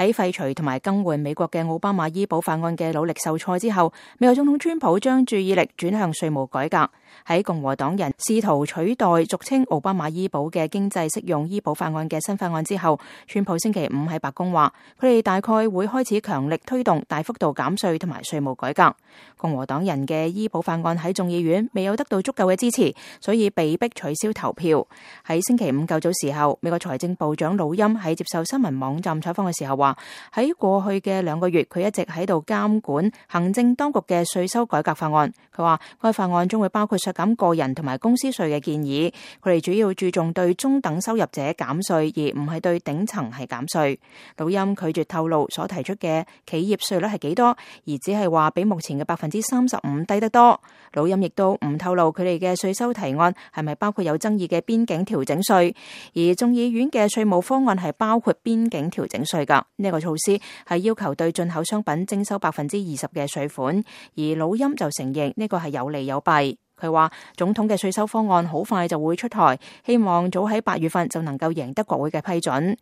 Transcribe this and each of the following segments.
喺廢除同埋更換美國嘅奧巴馬醫保法案嘅努力受挫之後，美國總統川普將注意力轉向稅務改革。喺共和黨人試圖取代俗稱奧巴馬醫保嘅經濟適用醫保法案嘅新法案之後，川普星期五喺白宮話，佢哋大概會開始強力推動大幅度減稅同埋稅務改革。共和黨人嘅醫保法案喺眾議院未有得到足夠嘅支持，所以被迫取消投票。喺星期五較早時候，美國財政部長魯欽喺接受新聞網站採訪嘅時候話，喺過去嘅2個月，佢一直喺度監管行政當局嘅稅收改革法案。佢話該法案將會包括削減個人同埋公司稅嘅建議，佢哋主要注重對中等收入者減稅，而唔係對頂層係減稅。魯欽拒絕透露所提出嘅企業稅率係幾多，而只係話比目前嘅35%低得多。魯欽亦都唔透露佢哋嘅稅收提案係咪包括有爭議嘅邊境調整稅，而眾議院嘅稅務方案係包括邊境調整稅㗎。呢個措施係要求對進口商品徵收20%嘅稅款，而魯欽就承認呢個係有利有弊。佢話總統嘅稅收方案好快就會出台，希望早喺8月份就能夠贏得國會嘅批准。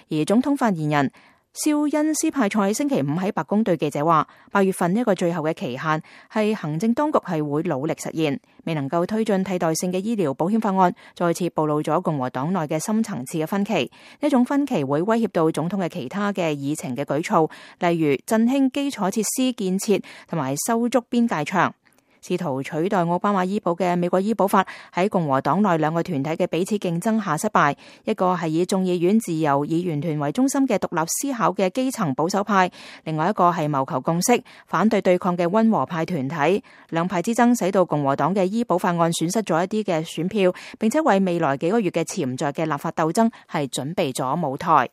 而總統發言人肖恩斯派塞星期五喺白宮對記者話，8月份一個最後嘅期限係行政當局係會努力實現，未能夠推進替代性嘅醫療保險法案，再次暴露咗共和黨內嘅深層次嘅分歧。呢種分歧會威脅到總統嘅其他嘅議程嘅舉措，例如振興基礎設施建設同埋修築邊界牆。試圖取代奧巴馬醫保嘅美國醫保法喺共和黨內2個團體嘅彼此競爭下失敗，一個係以眾議院自由議員團為中心嘅獨立思考嘅基層保守派，另外一個係謀求共識、反對對抗嘅溫和派團體。兩派之爭使到共和黨嘅醫保法案損失咗一啲嘅選票，並且為未來幾個月嘅潛在嘅立法鬥爭係準備咗舞台。